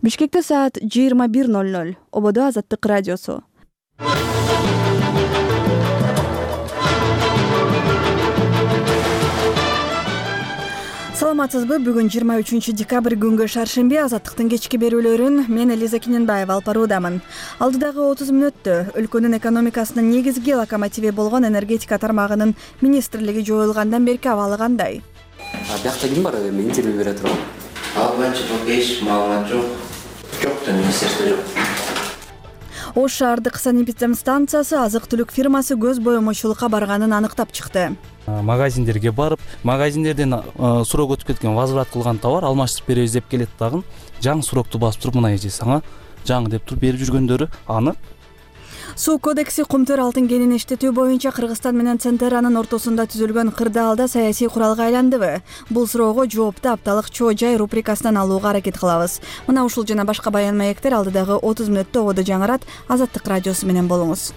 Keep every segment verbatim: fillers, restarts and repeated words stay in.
Бишкекте саат жыйырма бир ноль ноль. Ободо Азаттык радиосу. Саламатсызбы? Бүгүн жыйырма үчүнчү декабрь күнгө шаршемби. Азаттыктын кечки берүүлөрүн мен Элиза Киненбаева алып баруудамын. Алдыдагы отуз мүнөттө өлкөнүн экономикасынын негизги локомотиви болгон энергетика тармагынын министрлиги жоюлгандан берки абалы кандай? Биякта ким бар эми интервью бере турган? Ал боюнча эч маалымат жок. Жок да министрде жок. Ош шаардык санэпидем станциясы азык-түлүк фирмасы көз боемочулукка барганын аныктап чыкты. Магазиндерге барып, магазиндерден сурок өтүп кеткен, возврат кылган товар алмаштырып беребиз деп келет дагы. Жаңы сурокту басып туруп, мына эже сага жаңы деп туруп берип жүргөндөрү аны. Суу кодекси кумтөр алтын кенин иштетүү боюнча Кыргызстан менен Центеранын ортосунда түзүлгөн кырдаалда саясий куралга айландыбы? Бул суроого жоопту апталык Чоо Жай рубрикасынан алууга аракет кылабыз. Мына ушул жана башка баян маектер алдыдагы отуз мүнөттө ободо жаңырат. Азаттык радиосу менен болуңуз.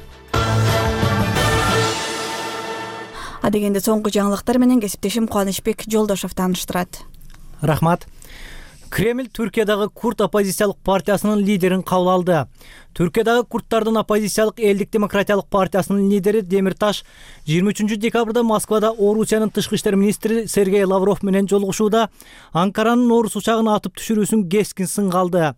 Адегенде соңку жаңылыктар менен кесиптешим Кубанычбек Жолдошов тааныштырат. Рахмат. Кремль Түркиядагы курд оппозициялык партиясынын лидерин кабыл алды. Түркиядагы курдтардын оппозициялык Элдик демократиялык партиясынын лидери Демирташ жыйырма үчүнчү декабрда Москвада Орусиянын тышкы иштер министри Сергей Лавров менен жолугушууда Анкаранын Орус учагын атып түшүрүүсүн кескин сынга алды.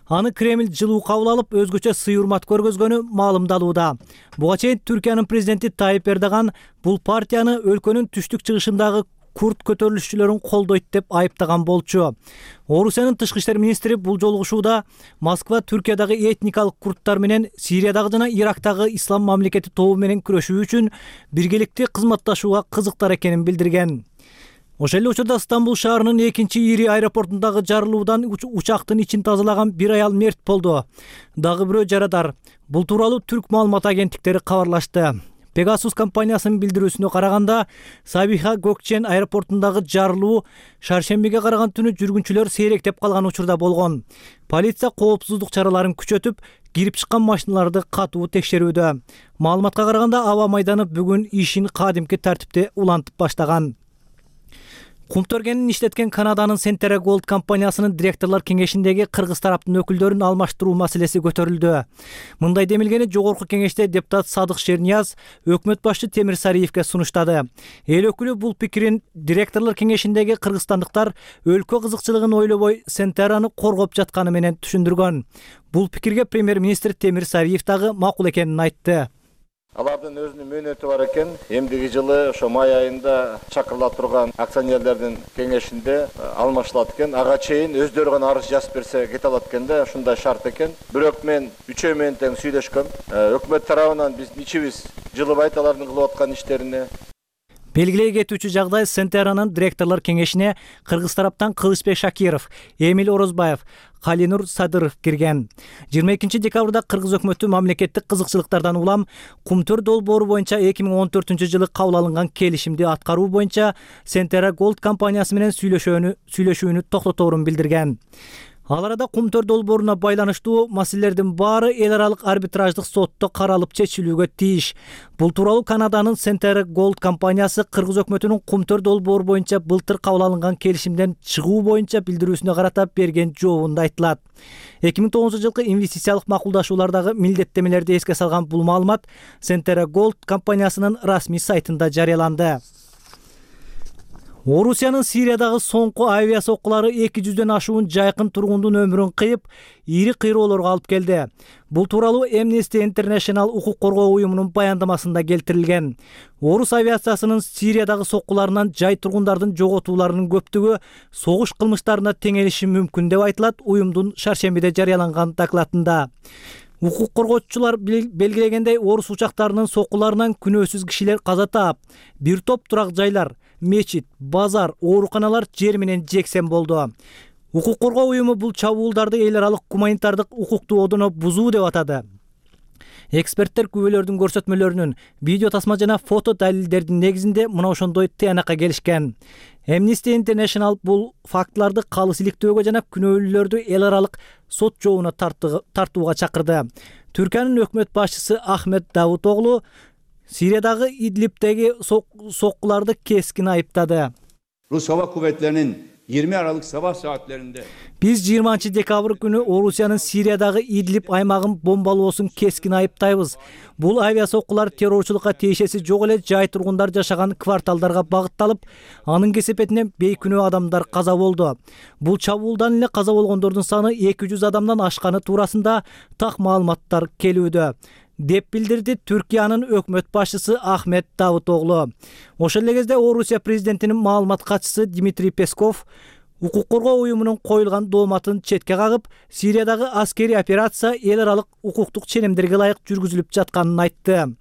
Аны Кремль жылуу кабыл алып, өзгөчө сый урмат көргөзгөнү маалымдалууда. Буга чейин Түркиянын президенти Тайип Эрдоган бул партияны өлкөнүн түштүк чыгышындагы курд көтөрүлүшчүлөрүн колдойт деп айыптаган болчу. Орусиянын тышкы иштер министри бул жолугушууда Москва Түркиядагы этникалык курдтар менен Сириядагы жана Ирактагы ислам мамлекети тобу менен күрөшүү үчүн биргеликте кызматташууга кызыктар экенин билдирген. Ошол эле учурда Стамбул шаарынын экинчи ири аэропортундагы жарылуудан учактын ичин тазалаган бир аял мерт болду. Дагы бирөө жарадар. Бул тууралуу түрк маалымат агенттиктери кабарлашты. Pegasus компаниясынын билдирүүсүнө караганда, Сабиха Gökçen аэропортундагы жарылуу шаршембиге караган түнү жүргүнчүлөр сейректеп калган учурда болгон. Полиция коопсуздук чараларын күчөтүп, кирип чыккан машиналарды катуу текшерүүдө. Маалыматка караганда, аба майданы бүгүн ишин кадимки тартипте улантып баштаган. Кумтөргенин иштеткен Канаданын Centera Gold компаниясынын директорлор кеңешиндеги кыргыз тараптын өкүлдөрүн алмаштыруу маселеси көтөрүлдү. Мындай демилгени жогорку кеңеште депутат Садык Шернияз өкмөт башчы Темир Сариевке сунуштады. Эл өкүлү бул пикирин директорлор кеңешиндеги кыргызстандыктар өлкө кызыкчылыгын ойлобой Centerаны коргоп жатканы менен түшүндүргөн. Бул пикирге премьер-министр Темир Сариев дагы макул экенин айтты. Алардын өзүнүн мөөнөтү бар экен. Эмдиги жылы ошо май айында чакырыла турган акционерлердин кеңешинде алмашылат экен. Ага чейин өздөрү гана арыз жазып берсе кете алат экен да, ушундай шарт экен. Бирок мен үчөө менен тең сүйлөшкөм. Өкмөт тарабынан биздин ичибиз жылыбайт алардын кылып аткан иштерине. Белгилей кетүүчү жагдай Centerанын директорлор кеңешине Кыргыз тараптан Кылычбек Шакиров, Эмил Орозбаев, Калинур Садыров кирген. жыйырма экинчи декабрда Кыргыз өкмөтү мамлекеттик кызыкчылыктардан улам Кумтөр долбоору боюнча эки миң он төртүнчү жылы кабыл алынган келишимди аткаруу боюнча Centera Gold компаниясы менен сүйлөшүүнү сүйлөшүүнү токтоторун билдирген. Ал арада Кумтөр долбооруна байланыштуу маселелердин баары эл аралык арбитраждык сотто каралып чечилүүгө тийиш. Бул тууралуу Канаданын Centera Gold компаниясы Кыргыз өкмөтүнүн Кумтөр долбоору боюнча былтыр кабыл алынган келишимден чыгуу боюнча билдирүүсүнө карата берген жообунда айтылат. эки миң тогузунчу жылкы инвестициялык макулдашуулардагы милдеттемелерди эске салган бул маалымат Centera Gold компаниясынын расмий сайтында жарыяланды. Орусиянын Сириядагы соңку авиа соккулары эки жүздөн ашуун жайкын тургундун өмүрүн кыйып, ири кыйроолорго алып келди. Бул тууралуу Amnesty International укук коргоо уюмунун баяндамасында келтирилген. Орус авиациясынын Сириядагы соккуларынан жай тургундардын жоготууларынын көптүгү согуш кылмыштарына теңелиши мүмкүн деп айтылат уюмдун шаршембиде жарыяланган докладында. Укук коргоочулар белгилегендей, орус учактарынын соккуларынан күнөөсүз кишилер каза таап, бир топ турак жайлар, мечит, базар, ооруканалар жер менен жексен болду. Укук коргоо уюму бул чабуулдарды эл аралык гуманитардык укукту одоно бузуу деп атады. Эксперттер күбөлөрдүн көрсөтмөлөрүнүн, видео тасма жана фото далилдердин негизинде мына ошондой тыянакка келишкен. Amnesty International бул фактыларды калыс иликтөөгө жана күнөөлүүлөрдү эл аралык сот жообуна тартууга чакырды. Түркиянын өкмөт башчысы Ахмет Давутоглу Сириядагы Идлибтеги соккуларды кескин айыптады. Rus Hava Kuvvetleri'nin yirmi Aralık sabah saatlerinde Биз жыйырманчы декабрь күнү Орусиянын Сириядагы Идлиб аймагын бомбалоосун кескин айыптайбыз. Бул авиасоккулар террорчулукка тиешеси жок эле жай тургундар жашаган кварталдарга багытталып, анын кесепетинен бейкүнөө адамдар каза болду. Бул чабуулдан эле каза болгондордун саны эки жүз адамдан ашканы туурасында так маалыматтар келүүдө, деп билдирди Түркиянын өкмөт башчысы Ахмет Давутоглу. Ошол эле кезде Орусия президентинин маалымат катчысы Дмитрий Песков укук коргоо уюмунун коюлган дооматын четке кагып, Сириядагы аскерий операция эл аралык укуктук ченемдерге ылайык жүргүзүлүп жатканын айтты.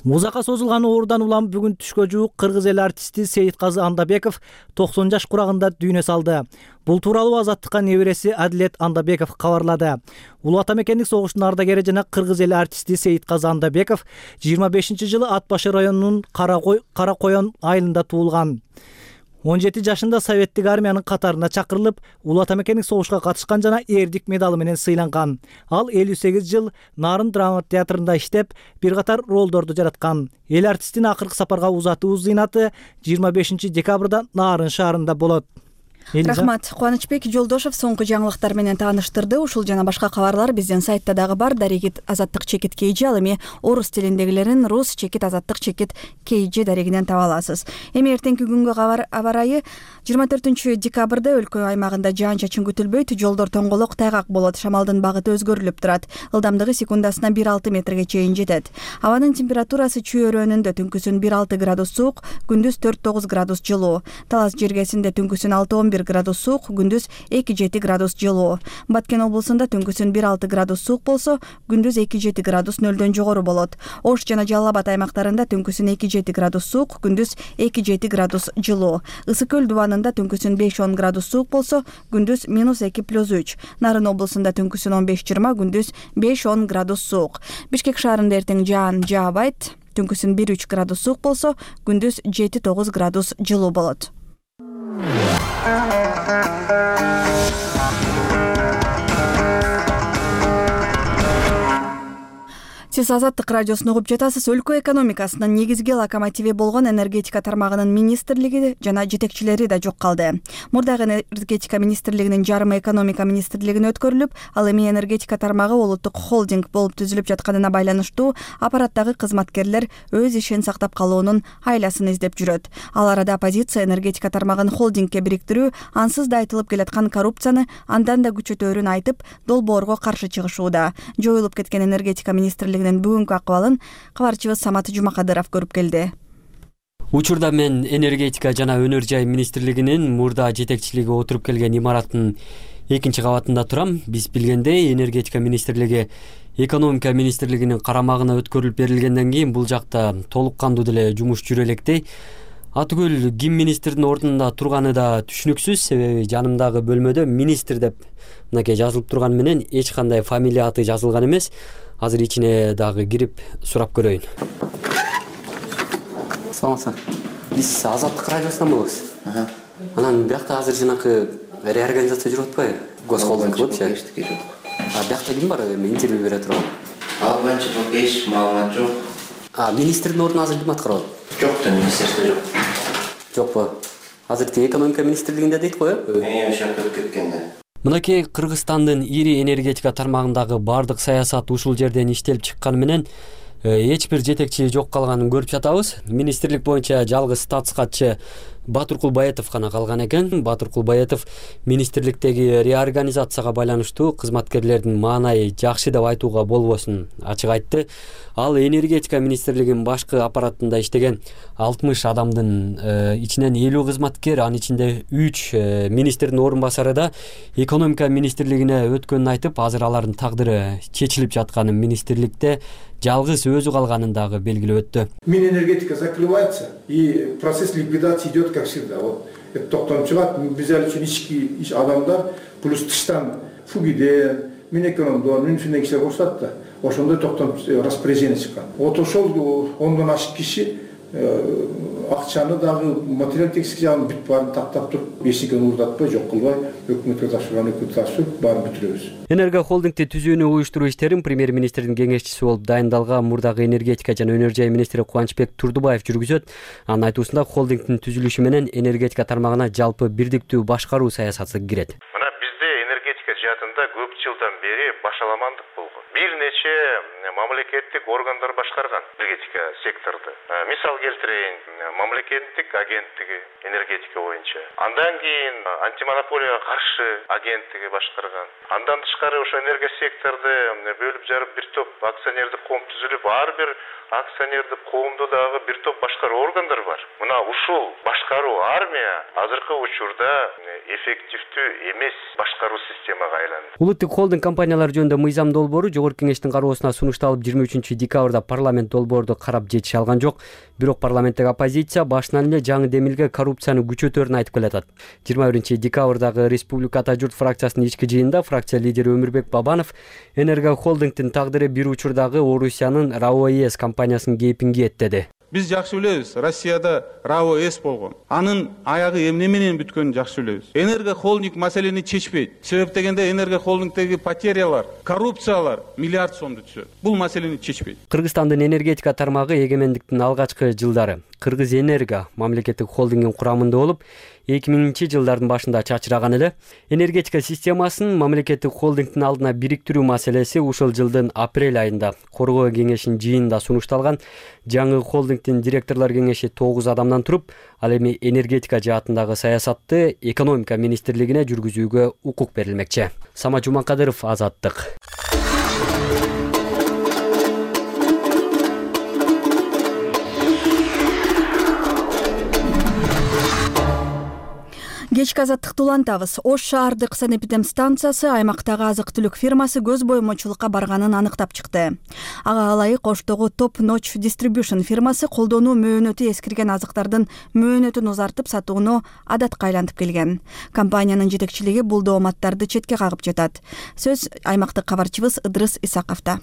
Узакка созулган оорудан улам бүгүн түшкө жуук кыргыз эл артисти Сейитказы Андабеков токсон жаш курагында дүйнө салды. Бул тууралуу Азаттыкка небереси Адилет Андабеков кабарлады. Улуу ата мекендик согуштун ардагери жана кыргыз эл артисти Сейитказы Андабеков жыйырма бешинчи жылы Ат башы районунун Кара Коен айылында туулган. он жети жашында советтик армиянын катарына чакырылып, улуу ата мекендик согушка катышкан жана эрдик медалы менен сыйланган. Ал элүү сегиз жыл Нарын драма театрында иштеп, бир катар ролдорду жараткан. Эл артистин акыркы сапарга узатуу зыйнаты жыйырма бешинчи декабрда Нарын шаарында болот. Рахмат. Кубанычбек Жолдошов соңку жаңылыктар менен тааныштырды. Ушул жана башка кабарлар биздин сайтта дагы бар. Дарегит азаттык чекит кей же, ал эми орус тилиндегилерин рус чекит азаттык чекит кей же дарегинен таба аласыз. Эми эртеңки күнгө аба ырайы жыйырма төртүнчү декабрда өлкө аймагында жаан чачын күтүлбөйт, жолдор тоңголок тайгак болот, шамалдын багыты өзгөрүлүп турат. Ылдамдыгы секундасына бир алты метрге чейин жетет. Абанын температурасы чүйөрөнүндө түнкүсүн бир алты градус суук, күндүз төрт тогуз градус жылуу. Талас жергесинде түнкүсүн алты он бир градус суук, күндүз эки жети градус жылуу. Баткен облусунда түнкүсүн бир алты градус суук болсо, күндүз эки жети градус нөлдөн жогору болот. Ош жана Жалал Абад аймактарында түнкүсүн эки жети градус суук, күндүз эки жети градус жылуу. Ысык көл дубанында түнкүсүн беш он градус суук болсо, күндүз минус эки плюс үч. Нарын облусунда түнкүсүн он беш жыйырма, күндүз беш он градус суук. Бишкек шаарында эртең жаан жаабайт, түнкүсүн бир үч градус суук болсо, күндүз жети тогуз градус жылуу болот. Сиз Азаттык радиосун угуп жатасыз. Өлкө экономикасынын негизги локомотиви болгон энергетика тармагынын министрлиги жана жетекчилери да жок калды. Мурдагы энергетика министрлигинин жарымы экономика министрлигине өткөрүлүп, ал эми энергетика тармагы улуттук холдинг болуп түзүлүп жатканына байланыштуу аппараттагы кызматкерлер өз ишин сактап калуунун айласын издеп жүрөт. Ал арада оппозиция энергетика тармагын холдингке бириктирүү ансыз да айтылып келаткан коррупцияны андан да күчөтөөрүн айтып, долбоорго каршы чыгышууда. Жоюлуп кеткен энергетика министрлигинин бүгүнкү акыбалын кабарчыбыз Самат Жумакадыров көрүп келди. Учурда мен энергетика жана өнөр жай министрлигинин мурда жетекчилиги отуруп келген имараттын экинчи кабатында турам. Биз билгендей, энергетика министрлиги экономика министрлигинин карамагына өткөрүлүп берилгенден кийин бул жакта толук кандуу деле жумуш жүрө электи. Атүгүл ким министрдин ордунда турганы да түшүнүксүз, себеби жанымдагы бөлмөдө министр деп мынакей жазылып турган менен эч кандай фамилия аты жазылган эмес. Азыр ичине дагы кирип сурап көрөйүн. Саламатсызбы. Биз Азаттык радиосунан болобуз. Анан биякта азыр жанакы реорганизация жүрүп атпайбы? Госхолдинг болупчу. А биякта ким бар? Эми интервью бере турган. Ал боюнча пока эч маалымат жок. А министрдин ордун азыр ким аткарып атат? Жок да, министрде жок. Жокпу? Азыр тиги экономика министрлигинде дейт го, э? Мен ошо өтүп кеткенде. Мынакей Кыргызстандын ири энергетика тармагындагы бардык саясат ушул жерден иштелип чыкканы менен эч бир жетекчи жок калганын көрүп жатабыз. Министрлик боюнча жалгыз статс катчы Батыркул Баетов гана калган экен. Батыркул Баетов министрликтеги реорганизацияга байланыштуу кызматкерлердин маанайы жакшы деп айтууга болбосун ачык айтты. Ал энергетика министрлигинин башкы аппаратында иштеген алтымыш адамдын ичинен элүү кызматкер, анын ичинде үч министрдин орун басары да экономика министрлигине өткөнүн айтып, азыр алардын тагдыры чечилип жатканын, министрликте жалгыз өзү калганын дагы белгилеп өттү. Минэнергетика закрывается и процесс ликвидации идет как всегда. Вот это токтонуп чыгат. Биз ал үчүн ички адамдар плюс тыштан фугиден, Минэкономдон, Минфинден кишилер кошулат да. Ошондой токтонуп распоряжение чыккан. Вот ошол ондон ашык киши акчаны дагы материал техник жагын бүт баарын тактап туруп эчтекени уурдатпай жок кылбай өкмөткө тапшырган өкмөткө тапшырып баарын бүтүрөбүз. Энерго холдингти түзүүнү уюштуруу иштерин премьер-министрдин кеңешчиси болуп дайындалган мурдагы энергетика жана өнөр жай министри Кубанычбек Турдубаев жүргүзөт. Анын айтуусунда холдингдин түзүлүшү менен энергетика тармагына жалпы бирдиктүү башкаруу саясаты кирет. Мына бизде энергетика жаатында көп жылдан бери башаламандык болгон. Бир нече мамлекеттик органдар башкарган энергетика секторду. Мисал келтирейин, мамлекеттик агенттиги энергетика боюнча. Андан кийин антимонополияга каршы агенттиги башкарган. Андан тышкары ошо энергия секторду бөлүп жарып бир топ акционердик коом түзүлүп, ар бир акционердик коомдо дагы бир топ башкаруу органдар бар. Мына ушул башкаруу армия азыркы учурда эффективдүү эмес башкаруу системага айланды. Улуттук холдинг компаниялар жөнүндө мыйзам долбоору жогорку кеңештин кароосуна сунушталып жыйырма үчүнчү декабрда парламент долбоорду карап жетише алган жок. Бирок парламенттик оппозиция башынан эле жаңы демилге коррупцияны күчөтөрүн айтып келатат. жыйырма биринчи декабрдагы Республика Ата журт фракциясынын ички жыйынында фракция лидери Өмүрбек Бабанов Энерго холдингдин тагдыры бир учурдагы Орусиянын РАО-ЭС компаниясынын кейпин кийеттеди. Биз жакшы билебиз, Россияда РАО-ЭС болгон. Анын аягы эмне менен бүткөнүн жакшы билебиз. Энерго холдинг маселени чечпейт. Себеп дегенде Энерго холдингдеги потерялар, коррупциялар миллиард сомду түзөт. Бул маселени чечпейт. Кыргызстандын энергетика тармагы эгемендиктин алгачкы жылдары Кыргыз Энерго мамлекеттик холдингдин курамында болуп, эки миңинчи жылдардын башында чачыраган эле. Энергетика системасын мамлекеттик холдингдин алдына бириктирүү маселеси ушул жылдын апрель айында Коргоо кеңешинин жыйынында сунушталган. Жаңы холдингдин директорлор кеңеши тогуз адамдан туруп, ал эми энергетика жаатындагы саясатты экономика министрлигине жүргүзүүгө укук берилмекчи. Сама Жумакадыров, Азаттык. Кечки азаттыкты улантабыз. Ош шаардык санэпидемстанциясы аймактагы азык-түлүк фирмасы көз боймочулукка барганын аныктап чыкты. Ага ылайык Оштогу Top Notch Distribution фирмасы колдонуу мөөнөтү эскирген азыктардын мөөнөтүн узартып сатууну адатка айлантып келген. Компаниянын жетекчилиги бул дооматтарды четке кагып жатат. Сөз аймактык кабарчыбыз Ыдрыс Исаковдо.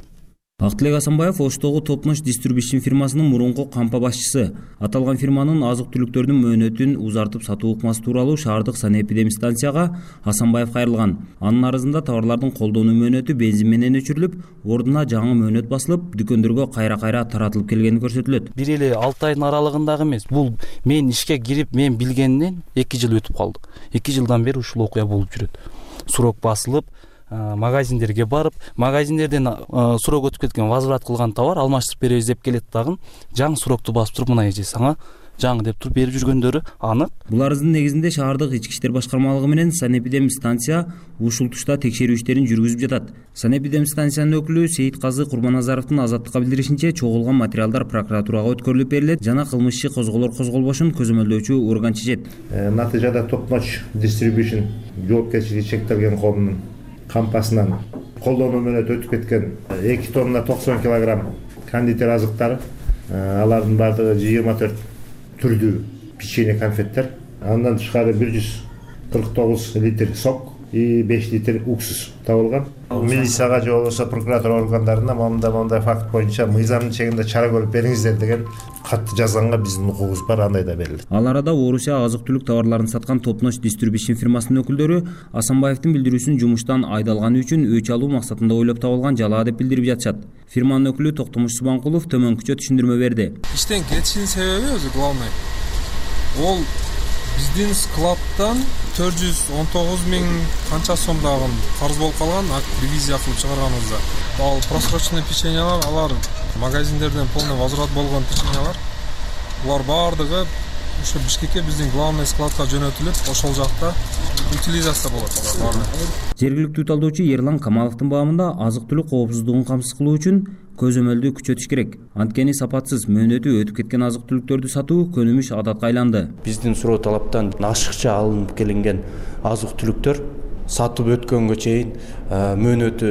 Актылек Асанбаев Оштогу Top Notch Distribution фирмасынын мурунку кампа башчысы. Аталган фирманын азык-түлүктөрдүн мөөнөтүн узартып сатуу ыкмасы тууралуу шаардык санэпидемстанцияга Асанбаев кайрылган. Анын арызында товарлардын колдонуу мөөнөтү бензин менен өчүрүлүп, ордуна жаңы мөөнөт басылып, дүкөндөргө кайра-кайра таратылып келгени көрсөтүлөт. Бир эле алты айдын аралыгындагы эмес. Бул мен ишке кирип, мен билгенден эки жыл өтүп калды. эки жылдан бери ушул окуя болуп жүрөт. Сурок басылып, магазиндерге барып, магазиндерден сурок өтүп кеткен, возврат кылган товар алмаштырып беребиз деп келет дагы, жаңы сурокту басып туруп, мына эже сага жаңы деп туруп берип жүргөндөрү анык. Бул арыздын негизинде шаардык ички иштер башкармалыгы менен санэпидемстанция ушул тушта текшерүү иштерин жүргүзүп жатат. Санэпидемстанциянын өкүлү Сейит Казы Курбаназаровдун Азаттыкка билдиришинче, чогулган материалдар прокуратурага өткөрүлүп берилет жана кылмыш иши козголор козголбошун көзөмөлдөөчү орган чечет. Натыйжада Top Notch Distribution жоопкерчилиги чектелген коомдун кампасынан колдонуу мөөнөтү өтүп кеткен эки тонна токсон килограмм кондитер азыктары, алардын баардыгы жыйырма төрт түрдүү печенье, конфеттер, андан тышкары бир жүз кырк тогуз литр сок и беш литр уксус табылган. Милицияга же болбосо прокуратура органдарына мындай мындай факт боюнча мыйзамдын чегинде чара көрүп бериңиздер деген катты жазганга биздин укугубуз бар, андай да берилди. Ал арада Орусия азык-түлүк товарларын саткан Top Notch Distribution фирмасынын өкүлдөрү Асанбаевдин билдирүүсүн жумуштан айдалганы үчүн өч алуу максатында ойлоп табылган жалаа деп билдирип жатышат. Фирманын өкүлү Токтомуш Субанкулов төмөнкүчө түшүндүрмө берди. Иштен кетишинин себеби өзү главный. Ол биздин складтан төрт жүз он тогуз миң канча сомдагы карыз болуп калган, ревизия кылып чыгарганыбызда. Ал просроченный печеньялар, алар магазиндерден полный возврат болгон печеньялар. Булар баардыгы ошо Бишкекке биздин главный складка жөнөтүлүп, ошол жакта утилизация болот алар баары. Жергиликтүү талдоочу Ерлан Камаловдун баамында азык-түлүк коопсуздугун камсыз кылуу үчүн көзөмөлдү күчөтүш керек. Анткени сапатсыз мөөнөтү өтүп кеткен азык-түлүктөрдү сатуу көнүмүш адатка айланды. Биздин суроо талаптан ашыкча алынып келинген азык-түлүктөр сатып өткөнгө чейин мөөнөтү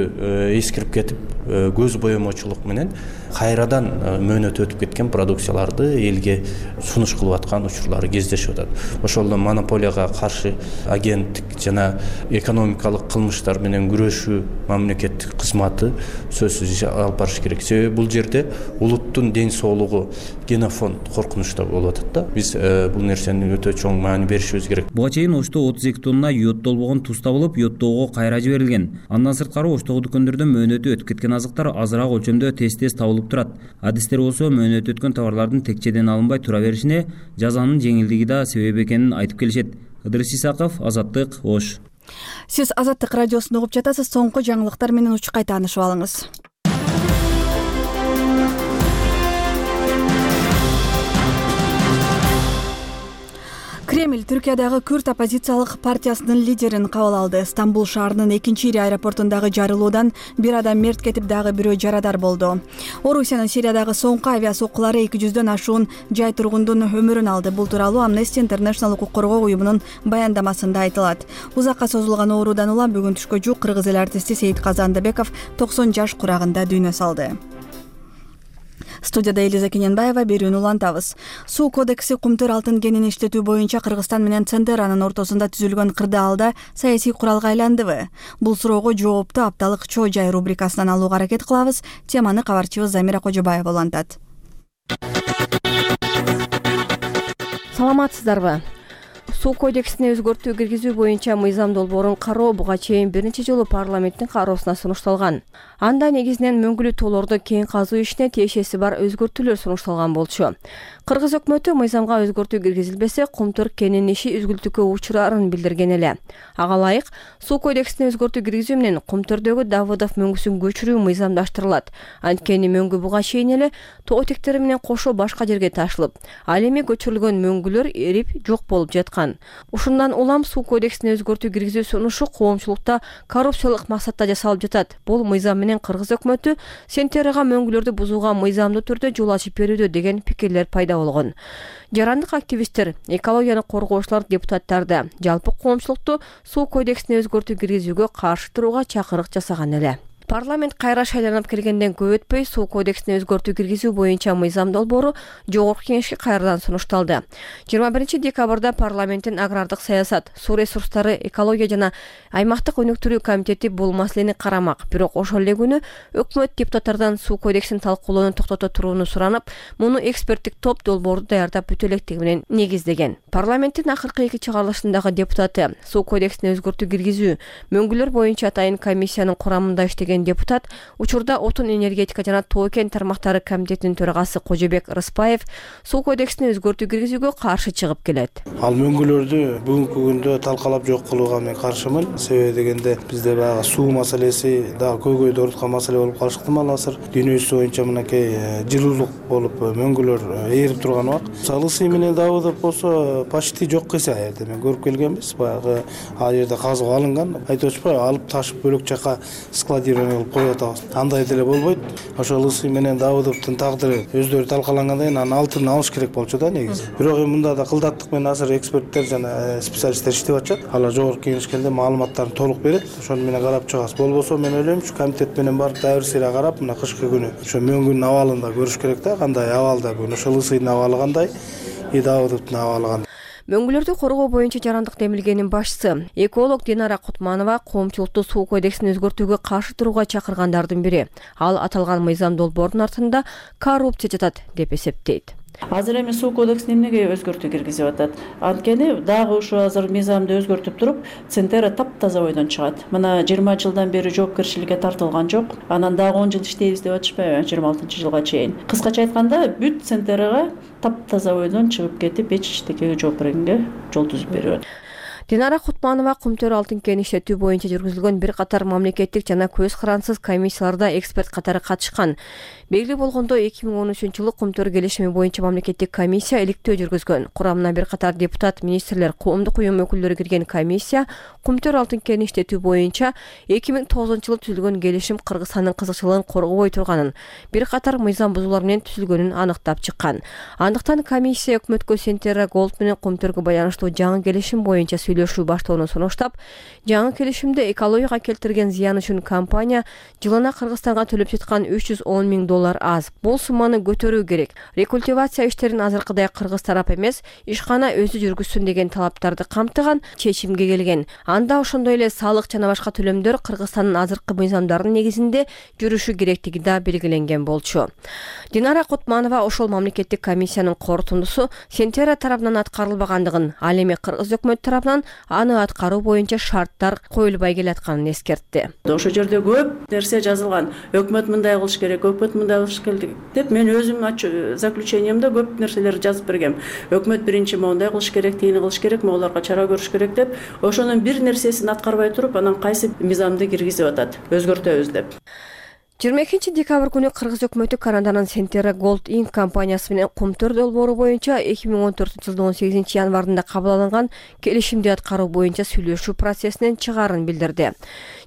эскирип кетип көз боемочулук менен кайрадан мөөнөт өтүп кеткен продукцияларды элге сунуш кылып аткан учурлары кездешип атат. Ошолдон монополияга каршы агенттик жана экономикалык кылмыштар менен күрөшүү мамлекеттик кызматы сөзсүз алып барыш керек. Себеби бул жерде улуттун ден соолугу генофонд коркунучта болуп атат да. Биз бул нерсени өтө чоң маани беришибиз керек. Буга чейин Ошто отуз эки тонна йоддолбогон туз табылып, йоддоого кайра жиберилген. Андан сырткары Оштогу дүкөндөрдө мөөнөтү өтүп кеткен азыктар азыраак өлчөмдө тез-тез табылып турат. Адистер болсо мөөнөтү өткөн товарлардын текчеден алынбай тура беришине жазанын жеңилдиги да себеп экенин айтып келишет. Ыдырыс Исаков, Азаттык, Ош. Сиз Азаттык радиосун угуп жатасыз. Соңку жаңылыктар менен учкай таанышып алыңыз. Кремль Түркиядагы күрд оппозициялык партиясынын лидерин кабыл алды. Стамбул шаарынын экинчи ири аэропортундагы жарылуудан бир адам мерт кетип, дагы бирөө жарадар болду. Орусиянын Сириядагы соңку авиасоккулары эки жүздөн ашуун жай тургундун өмүрүн алды. Бул тууралуу Amnesty International укук коргоо уюмунун баяндамасында айтылат. Узакка созулган оорудан улам бүгүн түшкө жук кыргыз эл артисти Сейит Казандыбеков токсон жаш курагында дүйнө салды. Студияда Элиза Кененбаева, берүүнү улантабыз. Суу кодекси кумтөр алтын кенин иштетүү боюнча Кыргызстан менен Центеранын ортосунда түзүлгөн кырдаалда саясий куралга айландыбы? Бул суроого жоопту апталык Чоо жай рубрикасынан алууга аракет кылабыз. Теманы кабарчыбыз Замира Кожобаева улантат. Саламатсыздарбы? Суу кодексине өзгөртүү киргизүү боюнча мыйзам долбоорун кароо буга чейин бир нече жолу парламенттин кароосуна сунушталган. Анда негизинен мөңгүлүү тоолорду кең казуу ишине тиешеси бар өзгөртүүлөр сунушталган болчу. Кыргыз өкмөтү мыйзамга өзгөртүү киргизилбесе, кумтөр кенин иши үзгүлтүккө учурарын билдирген эле. Ага ылайык, суу кодексине өзгөртүү киргизүү менен кумтөрдөгү Давыдов мөңгүсүн көчүрүү мыйзамдаштырылат. Анткени мөңгү буга чейин эле тоо тектери менен кошо башка жерге ташылып, ал эми көчүрүлгөн мөңгүлөр эрип жок болуп жаткан. Ушундан улам суу кодексине өзгөртүү киргизүү сунушу коомчулукта коррупциялык максатта жасалып жатат. Бул мыйзам менен Кыргыз өкмөтү Сентерага мөңгүлөрдү бузууга мыйзамдуу түрдө жол ачып берүүдө деген пикирлер пайда болгон. Жарандык активисттер, экологияны коргоочулар, депутаттарды, жалпы коомчулукту суу кодексине өзгөртүү киргизүүгө каршы турууга чакырык жасаган эле. Парламент кайра шайланып келгенден көп өтпөй суу кодексине өзгөртүү киргизүү боюнча мыйзам долбоору жогорку кеңешке кайрадан сунушталды. жыйырма биринчи декабрда парламенттин агрардык саясат, суу ресурстары, экология жана аймактык өнүктүрүү комитети бул маселени карамак. Бирок ошол эле күнү өкмөт депутаттардан суу кодексин талкуулоону токтото турууну суранып, муну эксперттик топ долбоорду даярдап бүтө электиги менен негиздеген. Парламенттин акыркы эки чыгарылышындагы депутаты суу кодексине өзгөртүү киргизүү, мөңгүлөр боюнча атайын комиссиянын курамында иштеген депутат учурда отун энергетика жана тоо кен тармактары комитетинин төрагасы Кожобек Рыспаев суу кодексине өзгөртүү киргизүүгө каршы чыгып келет. Ал мөңгүлөрдү бүгүнкү күндө талкалап жок кылууга мен каршымын. Себеби дегенде бизде баягы суу маселеси дагы көйгөйдү ороткан маселе болуп калышты мал азыр. Дүйнө жүзү боюнча мынакей жылуулук болуп мөңгүлөр ээрип турган убак. Салысы менен Давыдов болсо почти жок эсе аерде мен көрүп келгенбиз. Баягы ал жерде казып алынган. Айтып атышпайбы, алып ташып бөлөк жака складирование кылып коюп атабыз. Андай деле болбойт. Ошол Ысы менен Давыдовдун тагдыры өздөрү талкалангандан кийин анын алтын алыш керек болчу да негизи. Бирок эми мында да кылдаттык менен азыр эксперттер жана специалисттер иштеп атышат. Алар жогорку кеңешкенде маалыматтарын толук берет. Ошону менен карап чыгабыз. Болбосо мен ойлойм, ушу комитет менен барып дайыр сыйра карап, мына кышкы күнү ошо мөңгүнүн абалын да көрүш керек да, кандай абалда бүгүн ошол Ысынын абалы кандай, и Давыдовдун абалы кандай. Мөңгүлөрдү коргоо боюнча жарандык демилгенин башчысы, эколог Динара Кутманова коомчулукту суу кодексин өзгөртүүгө каршы турууга чакыргандардын бири. Ал аталган мыйзам долбоордун артында коррупция жатат деп эсептейт. Азыр эми суу кодексине эмнеге өзгөртүү киргизип атат? Анткени дагы ушу азыр мыйзамды өзгөртүп туруп, Центера таптаза бойдон чыгат. Мына жыйырма жылдан бери жоопкерчиликке тартылган жок. Анан дагы он жыл иштейбиз деп атышпайбы, жыйырма алтынчы жылга чейин. Кыскача айтканда, бүт Центерага таптаза бойдон чыгып кетип, эч иштекеге жооп бергенге жол түзүп берип атат. Динара Кутманова кумтөр алтын кен иштетүү боюнча жүргүзүлгөн бир катар мамлекеттик жана көз карансыз комиссияларда эксперт катары катышкан. Белгилүү болгондой, эки миң он үчүнчү жылы кумтөр келишими боюнча мамлекеттик комиссия иликтөө жүргүзгөн. Курамына бир катар депутат, министрлер, коомдук уюм өкүлдөрү кирген комиссия кумтөр алтын кен иштетүү боюнча эки миң тогузунчу жылы түзүлгөн келишим Кыргызстандын кызыкчылыгын коргобой турганын, бир катар мыйзам бузуулар менен түзүлгөнүн аныктап чыккан. Андыктан комиссия өкмөткө Сентера Голд менен кумтөргө байланыштуу жаңы келишим боюнча сүйлөшүү баштоо токтоону сунуштап, жаңы келишимде экологияга келтирген зыян үчүн компания жылына Кыргызстанга төлөп жаткан үч жүз он миң доллар аз. Бул сумманы көтөрүү керек. Рекультивация иштерин азыркыдай кыргыз тарап эмес, ишкана өзү жүргүзсүн деген талаптарды камтыган чечимге келген. Анда ошондой эле салык жана башка төлөмдөр Кыргызстандын азыркы мыйзамдарынын негизинде жүрүшү керектиги да белгиленген болчу. Динара Кутманова ошол мамлекеттик комиссиянын корутундусу Сентера тарабынан аткарылбагандыгын, ал эми Кыргыз өкмөтү тарабынан аны аткаруу боюнча шарттар коюлбай келатканын эскертти. Ошол жерде көп нерсе жазылган. Өкмөт мындай кылыш керек, өкмөт мындай кылыш керек деп мен өзүм заключениемде көп нерселерди жазып бергем. Өкмөт биринчи моундай кылыш керек, тиини кылыш керек, могуларга чара көрүш керек деп, ошонун бир нерсесин аткарбай туруп, анан кайсы мыйзамды киргизип атат, өзгөртөбүз деп. жыйырма экинчи декабрь күнү Кыргыз өкмөтү Канаданын Сентера Gold Inc компаниясы менен Кумтөр долбоору боюнча эки миң он төртүнчү жылдын он сегизинчи январында кабыл алынган келишимди аткаруу боюнча сүйлөшүү процессинен чыгаарын билдирди.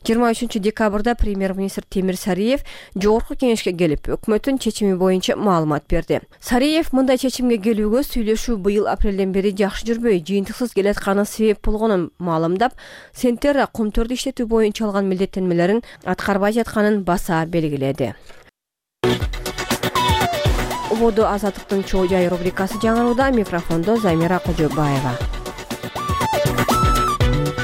жыйырма үчүнчү декабрда премьер-министр Темир Сариев жогорку кеңешке келип, өкмөттүн чечими боюнча маалымат берди. Сариев мындай чечимге келүүгө сүйлөшүү быйыл апрелден бери жакшы жүрбөй, жыйынтыксыз келатканы себеп болгонун маалымдап, Сентера Кумтөрдү иштетүү боюнча алган милдеттенмелерин аткарбай жатканын баса белгиледи. Убоду Азаттыктын чоо жай рубрикасы жаңырууда, микрофондо Замира Кожобаева.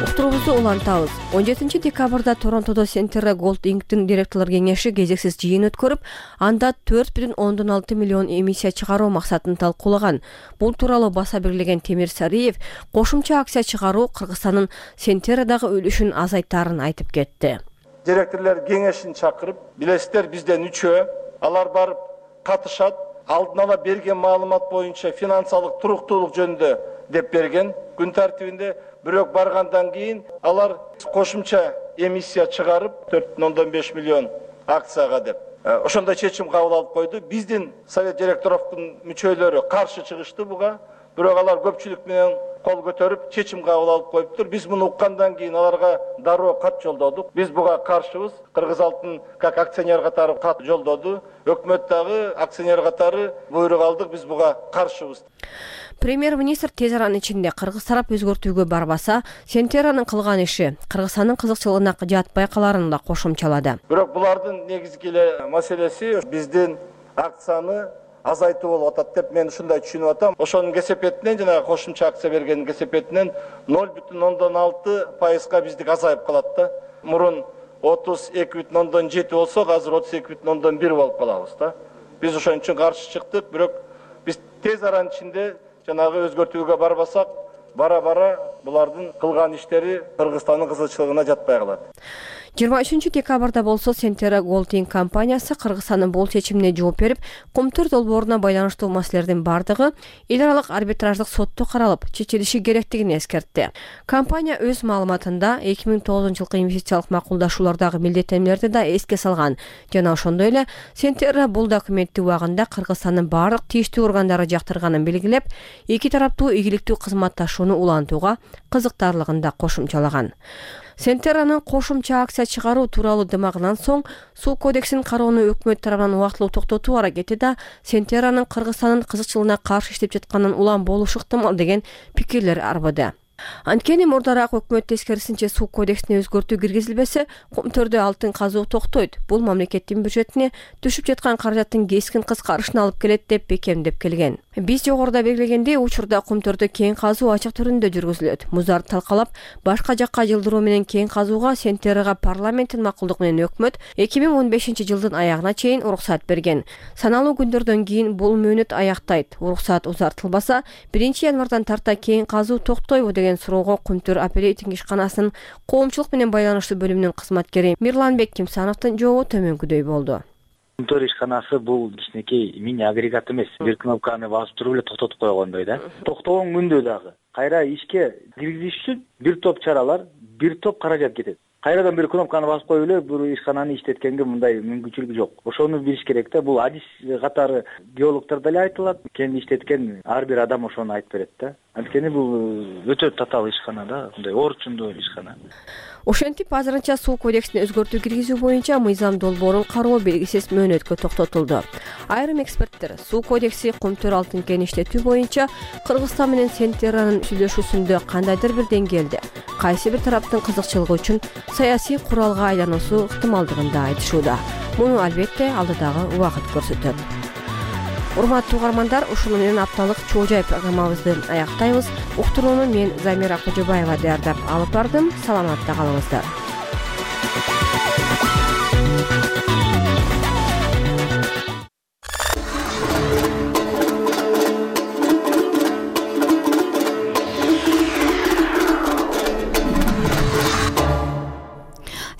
Уктуруубузду улантабыз. он жетинчи декабрда Торонтодо Сентера Gold Inc-тин директорлор кеңеши кезексиз жыйын өткөрүп, анда төрт бүтүн ондон алты миллион эмиссия чыгаруу максатын талкуулаган. Бул тууралуу баса белгилеген Темир Сариев кошумча акция чыгаруу Кыргызстандын Сентерадагы үлүшүн азайтаарын айтып кетти. Директорлор кеңешин чакырып, билесиздер бизден үчөө, алар барып катышат, алдын ала берген маалымат боюнча финансылык туруктуулук жөнүндө деп берген. Күн тартибинде бирок баргандан кийин алар кошумча эмиссия чыгарып төрт бүтүн ондон беш миллион акцияга деп ошондой чечим кабыл алып койду. Биздин совет директоровдун мүчөлөрү каршы чыгышты буга, бирок алар көпчүлүк менен кол көтөрүп чечим кабыл алып коюптур. Биз муну уккандан кийин аларга дароо кат жолдодук. Биз буга каршыбыз. Кыргыз алтын как акционер катары кат жолдоду. Өкмөт дагы акционер катары буйрук алдык. Биз буга каршыбыз. Премьер-министр тез аранын ичинде Кыргыз тарап өзгөртүүгө барбаса, Сентеранын кылган иши Кыргызстандын кызыкчылыгына жатпай каларын да кошумчалады. Бирок булардын негизги эле маселеси биздин акцияны азайтуу болуп атат деп мен ушундай түшүнүп атам. Ошонун кесепетинен жана кошумча акция бергендин кесепетинен ноль бүтүн ондон алты пайызга биздик азайып калат да. Мурун отуз эки бүтүн ондон жети болсок, азыр отуз эки бүтүн ондон бир болуп калабыз да. Биз ошон үчүн каршы чыктык, бирок биз тез аранын ичинде жанагы өзгөртүүгө барбасак, бара-бара булардын кылган иштери Кыргызстандын кызыкчылыгына жатпай калат. жыйырма үчүнчү декабрда болсо Сентера Gold Inc компаниясы Кыргызстандын бул чечимине жооп берип, Кумтөр долбооруна байланыштуу маселелердин бардыгы эл аралык арбитраждык сотто каралып, чечилиши керектигин эскертти. Компания өз маалыматында эки миң тогузунчу жылкы инвестициялык макулдашуулардагы милдеттенмелерди да эске салган жана ошондой эле Сентера бул документти убагында Кыргызстандын баардык тийиштүү органдары жактырганын белгилеп, эки тараптуу ийгиликтүү кызматташууну улантууга кызыктарлыгын да кошумчалаган. Сентеранын кошумча акция чыгаруу тууралуу дымагынан соң суу кодексин кароону өкмөт тарабынан убактылуу токтотуу аракети да Сентеранын Кыргызстандын кызыкчылыгына каршы иштеп жатканын улам болушу ыктымал деген пикирлер арбыды. Анткени мурдараак өкмөт тескерисинче суу кодексине өзгөртүү киргизилбесе, Кумтөрдө алтын казуу токтойт. Бул мамлекеттин бюджетине түшүп жаткан каражаттын кескин кыскарышына алып келет деп бекемдеп келген. Биз жогоруда белгилегендей, учурда Кумтөрдө кең казуу ачык түрүндө жүргүзүлөт. Муздарды талкалап, башка жакка жылдыруу менен кең казууга Сентерага парламенттин макулдугу менен өкмөт эки миң он бешинчи жылдын аягына чейин уруксат берген. Саналуу күндөрдөн кийин бул мөөнөт аяктайт. Уруксат узартылбаса, биринчи январдан тарта кең казуу токтойбу деген суроого Кумтөр оперейтинг ишканасынын коомчулук менен байланыштуу бөлүмүнүн кызматкери Мирланбек Кимсановдун жообу төмөнкүдөй болду. Кумтөр ишканасы бул кичинекей мини агрегат эмес. Бир кнопканы басып туруп эле токтотуп койгондой да. Токтогон күндө дагы кайра ишке киргизиш үчүн бир топ чаралар, бир топ каражат кетет. Кайрадан бир кнопканы басып коюп эле бул ишкананы иштеткенге мындай мүмкүнчүлүк жок. Ошону билиш керек да. Бул адис катары геологдор деле айтылат. Кен иштеткен ар бир адам ошону айтып берет да. Анткени бул өтө татаал ишкана да, мындай орчундуу ишкана. Ошентип азырынча суу кодексине өзгөртүү киргизүү боюнча мыйзам долбоорун кароо белгисиз мөөнөткө токтотулду. Айрым эксперттер суу кодекси кум төр алтын кен иштетүү боюнча Кыргызстан менен Центеранын сүйлөшүүсүндө кандайдыр бир деңгээлде кайсы бир тараптын кызыкчылыгы үчүн саясий куралга айлануусу ыктымалдыгын да айтышууда. Муну албетте алдыдагы убакыт көрсөтөт. Урматтуу угармандар, ушуну менен апталык Чоо Жай программабызды аяктайбыз. Уктурууну мен Замира Кожобаева даярдап алып бардым. Саламатта калыңыздар.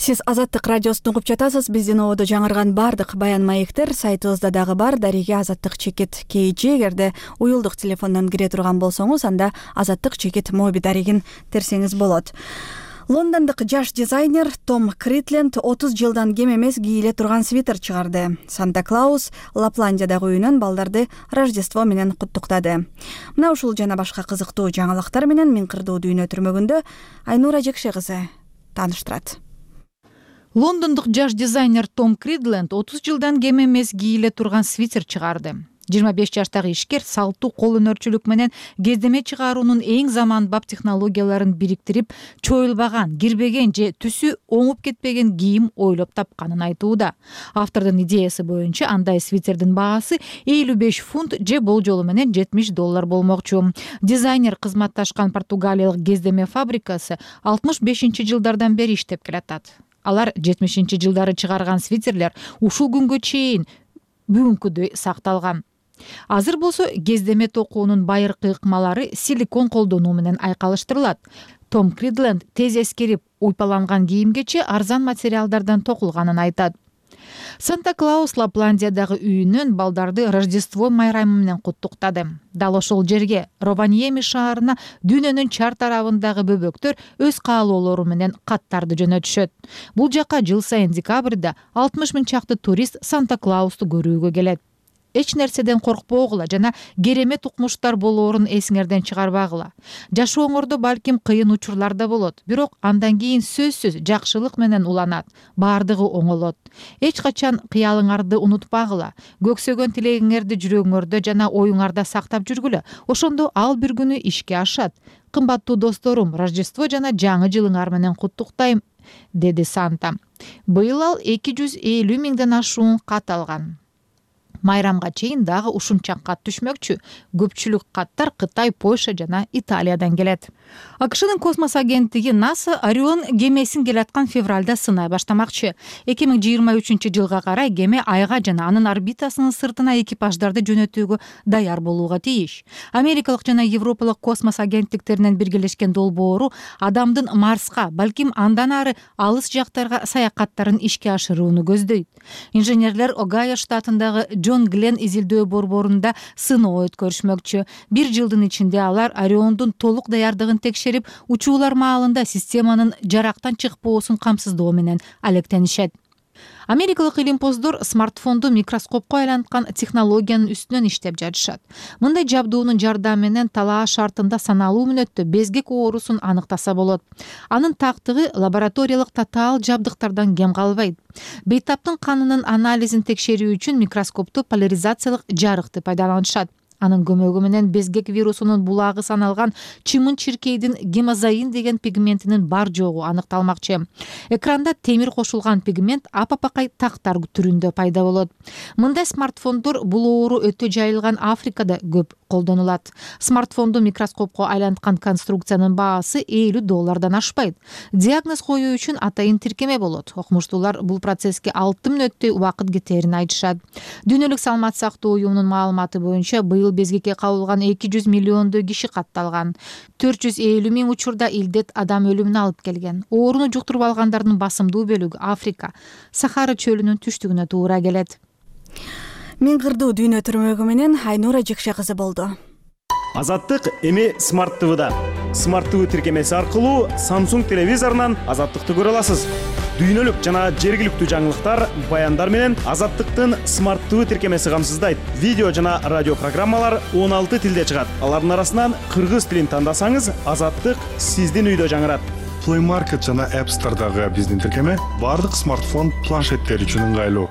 Сиз Азаттык радиосун угуп жатасыз. Биздин ободо жаңырган бардык баян маектер сайтыбызда дагы бар. Дареге азаттык чекит kg. Эгерде уюлдук телефондон кире турган болсоңуз, анда азаттык чекит моби дарегин терсеңиз болот. Лондондук жаш дизайнер Том Кридленд отуз жылдан кем эмес кийиле турган свитер чыгарды. Санта-Клаус Лапландиядагы үйүнөн балдарды Рождество менен куттуктады. Мына ушул жана башка кызыктуу жаңылыктар менен Миң кырдуу дүйнө түрмөгүндө Айнура Жекше кызы тааныштырат. Лондондук жаш дизайнер Том Кридленд отуз жылдан кем эмес кийиле турган свитер чыгарды. жыйырма беш жаштагы ишкер салттуу кол өнөрчүлүк менен кездеме чыгаруунун эң заманбап технологияларын бириктирип, чоюлбаган, кирбеген же түсү оңуп кетпеген кийим ойлоп тапканын айтууда. Автордун идеясы боюнча андай свитердин баасы элүү беш фунт же болжолу менен жетимиш доллар болмокчу. Дизайнер кызматташкан португалиялык кездеме фабрикасы алтымыш бешинчи жылдардан бери иштеп келатат. Алар жетимишинчи жылдары чыгарган свитерлер ушул күнгө чейин бүгүнкүдөй сакталган. Азыр болсо кездеме токуунун байыркы ыкмалары силикон колдонуу менен айкалыштырылат. Том Кридленд тез эскерип, уйпаланган кийимгече арзан материалдардан токулганын айтат. Санта-Клаус Лапландиядагы үйүнөн балдарды Рождество майрамы менен куттуктады. Дал ошол жерге, Рованьеми шаарына дүйнөнүн чар тарабындагы бөбөктөр өз каалоолору менен каттарды жөнөтүшөт. Бул жака жыл сайын декабрда алтымыш миң чакты турист Санта-Клаусту көрүүгө келет. Эч нерседен коркпогула жана керемет укмуштар болоорун эсиңерден чыгарбагыла. Жашооңордо балким кыйын учурлар да болот, бирок андан кийин сөзсүз жакшылык менен уланат, баардыгы оңолот. Эч качан кыялыңарды унутпагыла, көксөгөн тилегиңерди жүрөгүңөрдө жана оюңарда сактап жүргүлө. Ошондо ал бир күнү ишке ашат. Кымбаттуу досторум, Рождество жана жаңы жылыңар менен куттуктайм, деди Санта. Быйыл ал эки жүз элүү миңден ашуун кат алган. Майрамга чейин дагы ушунча кат түшмөкчү. Көпчүлүк каттар Кытай, Польша жана Италиядан келет. АКШнын космос агенттиги НАСА Орион кемесин келаткан февралда сынай баштамакчы. эки миң жыйырма үчүнчү жылга карай кеме Айга жана анын орбитасынын сыртына экипаждарды жөнөтүүгө даяр болууга тийиш. Америкалык жана Европалык космос агенттиктеринен биргелешкен долбоору адамдын Марска, балким андан ары алыс жактарга саякаттарын ишке ашырууну көздөйт. Инженерлер Огайо штатындагы Джон Глен изилдөө борборунда сыноо өткөрүшмөкчү. Бир жылдын ичинде алар Ориондун толук даярдыгын текшерип, учуулар маалында системанын жарактан чыкпоосун камсыздоо менен алектенишет. Америкалык илимпоздор смартфонду микроскопко айланткан технологиянын үстүнөн иштеп жатышат. Мындай жабдуунун жардамы менен талаа шартында саналуу мүнөттө безгек оорусун аныктаса болот. Анын тактыгы лабораториялык татаал жабдыктардан кем калбайт. Бейтаптын канынын анализин текшерүү үчүн микроскопту поляризациялык жарыкты пайдаланышат. Анын көмөгү менен безгек вирусунун булагы саналган чымын-чиркейдин гемозоин деген пигментинин бар жогу аныкталмакчы. Экранда темир кошулган пигмент апапакай тактар түрүндө пайда болот. Мындай смартфондор бул оору өтө жайылган Африкада көп колдонулат. Смартфонду микроскопко айланткан конструкциянын баасы элүү доллардан ашпайт. Диагноз коюу үчүн атайын тиркеме болот. Окумуштуулар бул процесске алты мүнөттөй убакыт кетерин айтышат. Дүйнөлүк саламат сактоо уюмунун маалыматы боюнча быйыл безгекке кабылган эки жүз миллиондой киши катталган. төрт жүз элүү миң учурда илдет адам өлүмүнө алып келген. Ооруну жуктуруп алгандардын басымдуу бөлүгү Африка, Сахара чөлүнүн түштүгүнө туура келет. Миң кырдуу дүйнө түрмөгү менен Айнура Жекше кызы болду. Азаттык эми Смарт ТВда. Смарт ТВ тиркемеси аркылуу Samsung телевизорунан Азаттыкты көрө аласыз. Дүйнөлүк жана жергиликтүү жаңылыктар, баяндар менен Азаттыктын Смарт ТВ тиркемеси камсыздайт. Видео жана радио программалар он алты тилде чыгат. Алардын арасынан кыргыз тилин тандасаңыз, Азаттык сиздин үйдө жаңырат. Play Market жана App Store'дагы биздин тиркеме бардык смартфон планшеттер үчүн ыңгайлуу.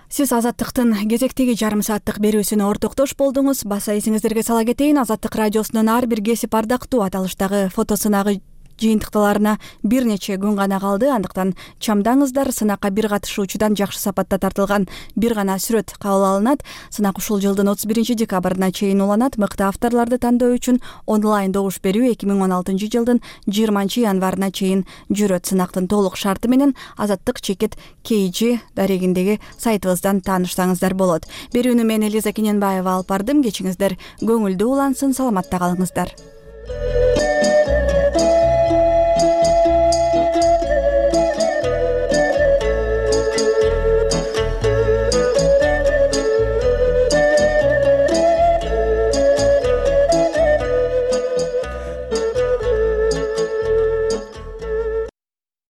Сиз Азаттыктын кезектеги жарым сааттык берүүсүнө ортоктош болдуңуз. Баса эсиңиздерге сала кетейин, Азаттык радиосунун ар бир кесип ардактуу аталыштагы фото сынагы жыйынтыкталарына бир нече күн гана калды. Андыктан чамдаңыздар, сынакка бир катышуучудан жакшы сапатта тартылган бир гана сүрөт кабыл алынат. Сынак ушул жылдын отуз биринчи декабрына чейин уланат. Мыкты авторлорду тандоо үчүн онлайн добуш берүү эки миң он алтынчы жылдын жыйырманчы январына чейин жүрөт. Сынактын толук шарты менен Азаттык чекит кей жи дарегиндеги сайтыбыздан таанышсаңыздар болот. Берүүнү мен Элиза Кененбаева алып бардым. Кечиңиздер көңүлдүү улансын, саламатта калыңыздар.